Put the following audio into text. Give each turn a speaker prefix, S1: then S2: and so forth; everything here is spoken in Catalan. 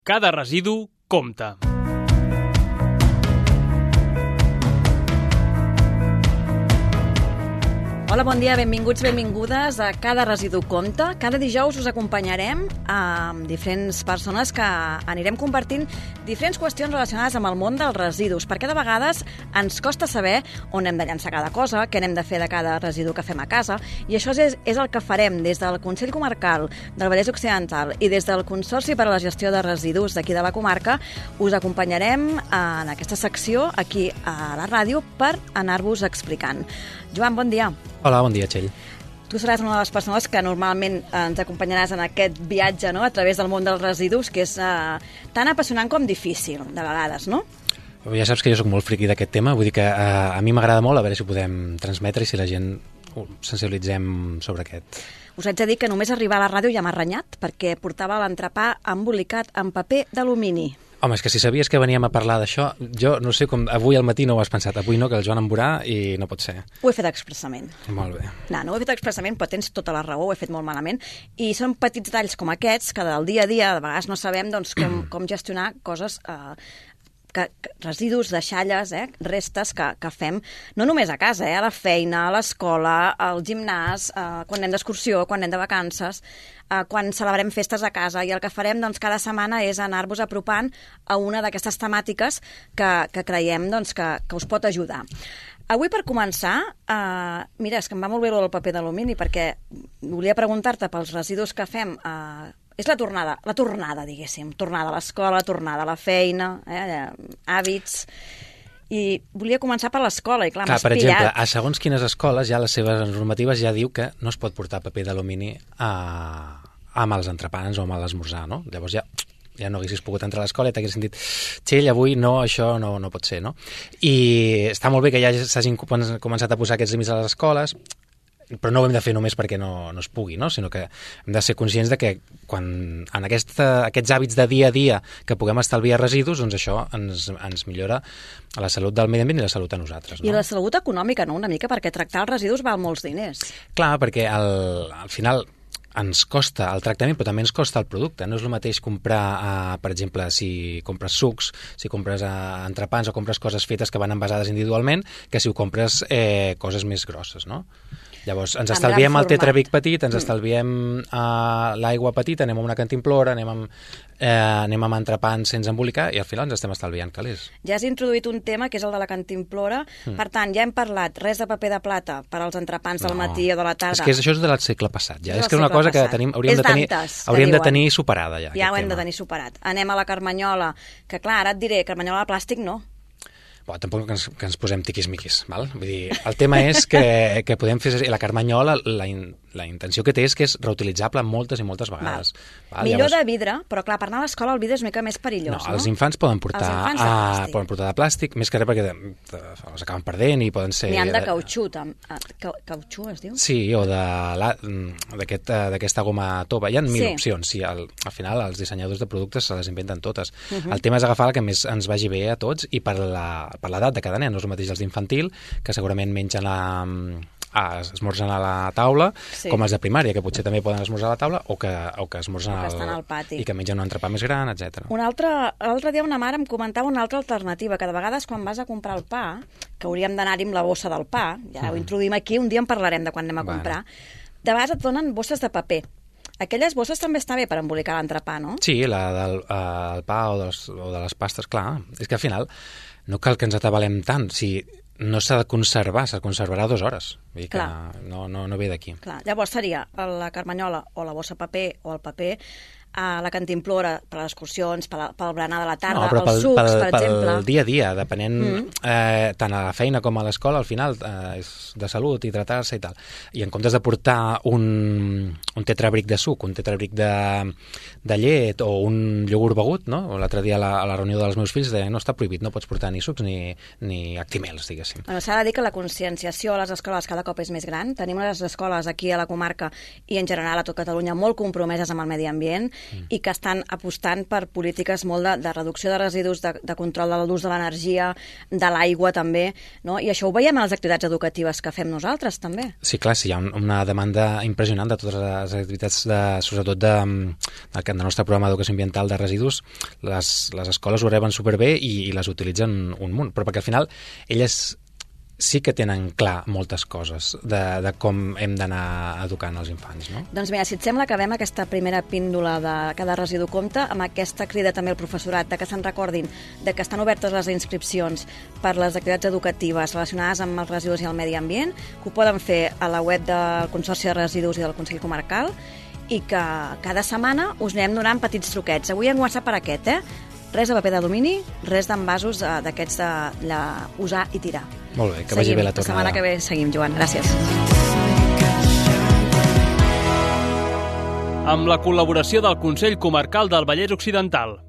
S1: Cada residu compta.
S2: Hola, bon dia, benvinguts, benvingudes a Cada Residu Compta. Cada dijous us acompanyarem amb diferents persones que anirem compartint diferents qüestions relacionades amb el món dels residus, perquè de vegades ens costa saber on hem de llançar cada cosa, què n'hem de fer de cada residu que fem a casa, i això és el que farem des del Consell Comarcal del Vallès Occidental i des del Consorci per a la Gestió de Residus d'aquí de la comarca. Us acompanyarem en aquesta secció aquí a la ràdio per anar-vos explicant. Joan, bon dia.
S3: Hola, bon dia, Txell.
S2: Tu seràs una de les persones que normalment ens acompanyaràs en aquest viatge, no?, a través del món dels residus, que és tan apassionant com difícil, de vegades, no?
S3: Ja saps que jo sóc molt friqui d'aquest tema, vull dir que a mi m'agrada molt, a veure si ho podem transmetre i si la gent sensibilitzem sobre aquest.
S2: Us haig de dir que només arribar a la ràdio ja m'ha renyat, perquè portava l'entrepà embolicat en paper d'alumini.
S3: Home, és que si sabies que veníem a parlar d'això, jo no sé com avui al matí no ho has pensat. Avui no, que el Joan em veurà i no pot ser.
S2: Ho he fet expressament.
S3: Molt bé.
S2: No ho he fet expressament, però tens tota la raó, ho he fet molt malament. I són petits detalls com aquests, que del dia a dia, de vegades no sabem doncs, com gestionar coses... residus, deixalles, restes que fem, no només a casa, a la feina, a l'escola, al gimnàs, quan anem d'excursió, quan anem de vacances, quan celebrem festes a casa, i el que farem doncs, cada setmana és anar-vos apropant a una d'aquestes temàtiques que creiem doncs, que us pot ajudar. Avui, per començar, mira, és que em va molt bé el paper d'alumini, perquè volia preguntar-te pels residus que fem. És la tornada, diguéssim, tornada a l'escola, tornada a la feina, hàbits... I volia començar per l'escola, i clar, m'has
S3: per
S2: pillat.
S3: exemple, a segons quines escoles, ja les seves normatives ja diu que no es pot portar paper d'alumini amb els entrepans o amb l'esmorzar, no? Llavors ja no haguessis pogut entrar a l'escola i t'haguessin dit, Txell, avui no, això no pot ser, no? I està molt bé que ja s'hagin començat a posar aquests límits a les escoles, però no ho hem de fer només perquè no es pugui, no? Sinó que hem de ser conscients de que quan en aquests hàbits de dia a dia que puguem estalviar residus, doncs això ens millora la salut del medi ambient i la salut a nosaltres. No?
S2: I la salut econòmica, no?, una mica, perquè tractar els residus val molts diners.
S3: Clar, perquè al final ens costa el tractament, però també ens costa el producte. No és el mateix comprar, per exemple, si compres sucs, si compres entrepans o compres coses fetes que van envasades individualment, que si ho compres coses més grosses, no? Llavors, ens estalviem el tetrabric petit, ens estalviem l'aigua petita, anem a una cantimplora, anem amb entrepans sense embolicar i al final ens estem estalviant calés.
S2: Ja has introduït un tema que és el de la cantimplora. Per tant, ja hem parlat res de paper de plata per als entrepans del matí o de la tarda.
S3: És que això és del segle passat, ja. És que és una cosa que hauríem de tenir superada, ja.
S2: Ja ho hem de tenir superat. Anem a la carmanyola, que clar, ara et diré, carmanyola de plàstic no.
S3: Bon, tampoc que ens posem tiquis-miquis, val? Vull dir, el tema és que podem fer... La carmanyola, la intenció que té és que és reutilitzable moltes i moltes vegades.
S2: Val? Millor llavors... de vidre, però clar, per anar a l'escola el vidre és una mica més perillós, no?
S3: Els infants poden portar de plàstic, més que res perquè els acaben perdent i poden ser...
S2: N'hi han de cautxú, cautxú es diu?
S3: Sí, o d'aquesta goma tova. Hi ha mil opcions. Sí, al final els dissenyadors de productes se les inventen totes. El tema és agafar la que més ens vagi bé a tots i per l'edat de cada nen. No és el mateix els d'infantil, que segurament mengen esmorzen a la taula, com els de primària, que potser també poden esmorzar a la taula, o que esmorzen
S2: al pati.
S3: I que mengen un entrepà més gran, etc.
S2: L'altre dia una mare em comentava una altra alternativa, que de vegades quan vas a comprar el pa, que hauríem d'anar-hi amb la bossa del pa, ja ho introduïm aquí, un dia en parlarem de quan anem a comprar, de vegades et donen bosses de paper. Aquelles bosses també està bé per embolicar l'entrepà, no?
S3: Sí, la del pa o de les pastes, clar. És que al final no cal que ens atabalem tant. Si no s'ha de conservar, s'ha de conservarà 2 hores. Vull dir que no ve d'aquí.
S2: Llavors seria la carmanyola o la bossa paper o el paper, a la cantimplora per les excursions, pel berenar de la tarda, els sucs, per exemple.
S3: Pel dia a dia, depenent tant a la feina com a l'escola, al final és de salut, hidratar-se i tal. I en comptes de portar un tetrabric de suc, un tetrabric de llet o un iogurt begut, no? L'altre dia a la reunió dels meus fills deien no està prohibit, no pots portar ni sucs ni actimels, diguéssim.
S2: S'ha de dir que la conscienciació a les escoles cada cop és més gran. Tenim les escoles aquí a la comarca i en general a tot Catalunya molt compromeses amb el medi ambient. i que estan apostant per polítiques molt de reducció de residus, de control de l'ús de l'energia, de l'aigua també, no? I això ho veiem a les activitats educatives que fem nosaltres també.
S3: Sí, clar, sí, hi ha una demanda impressionant de totes les activitats, sobretot del nostre programa d'educació ambiental de residus. Les escoles ho reben superbé i les utilitzen un munt, però perquè al final elles sí que tenen clar moltes coses de com hem d'anar educant els infants, no?
S2: Doncs mira, si et sembla, acabem aquesta primera píndola de cada residu compta amb aquesta crida també al professorat de que se'n recordin de que estan obertes les inscripcions per les activitats educatives relacionades amb els residus i el medi ambient, que ho poden fer a la web del Consorci de Residus i del Consell Comarcal i que cada setmana us anem donant petits truquets. Avui hem començat per aquest, Res de paper d'alumini, res d'envasos d'aquests usar i tirar.
S3: Molt bé, que vagi bé la tornada.
S2: La setmana que ve seguim, Joan. Gràcies.
S1: Amb la col·laboració del Consell Comarcal del Vallès Occidental.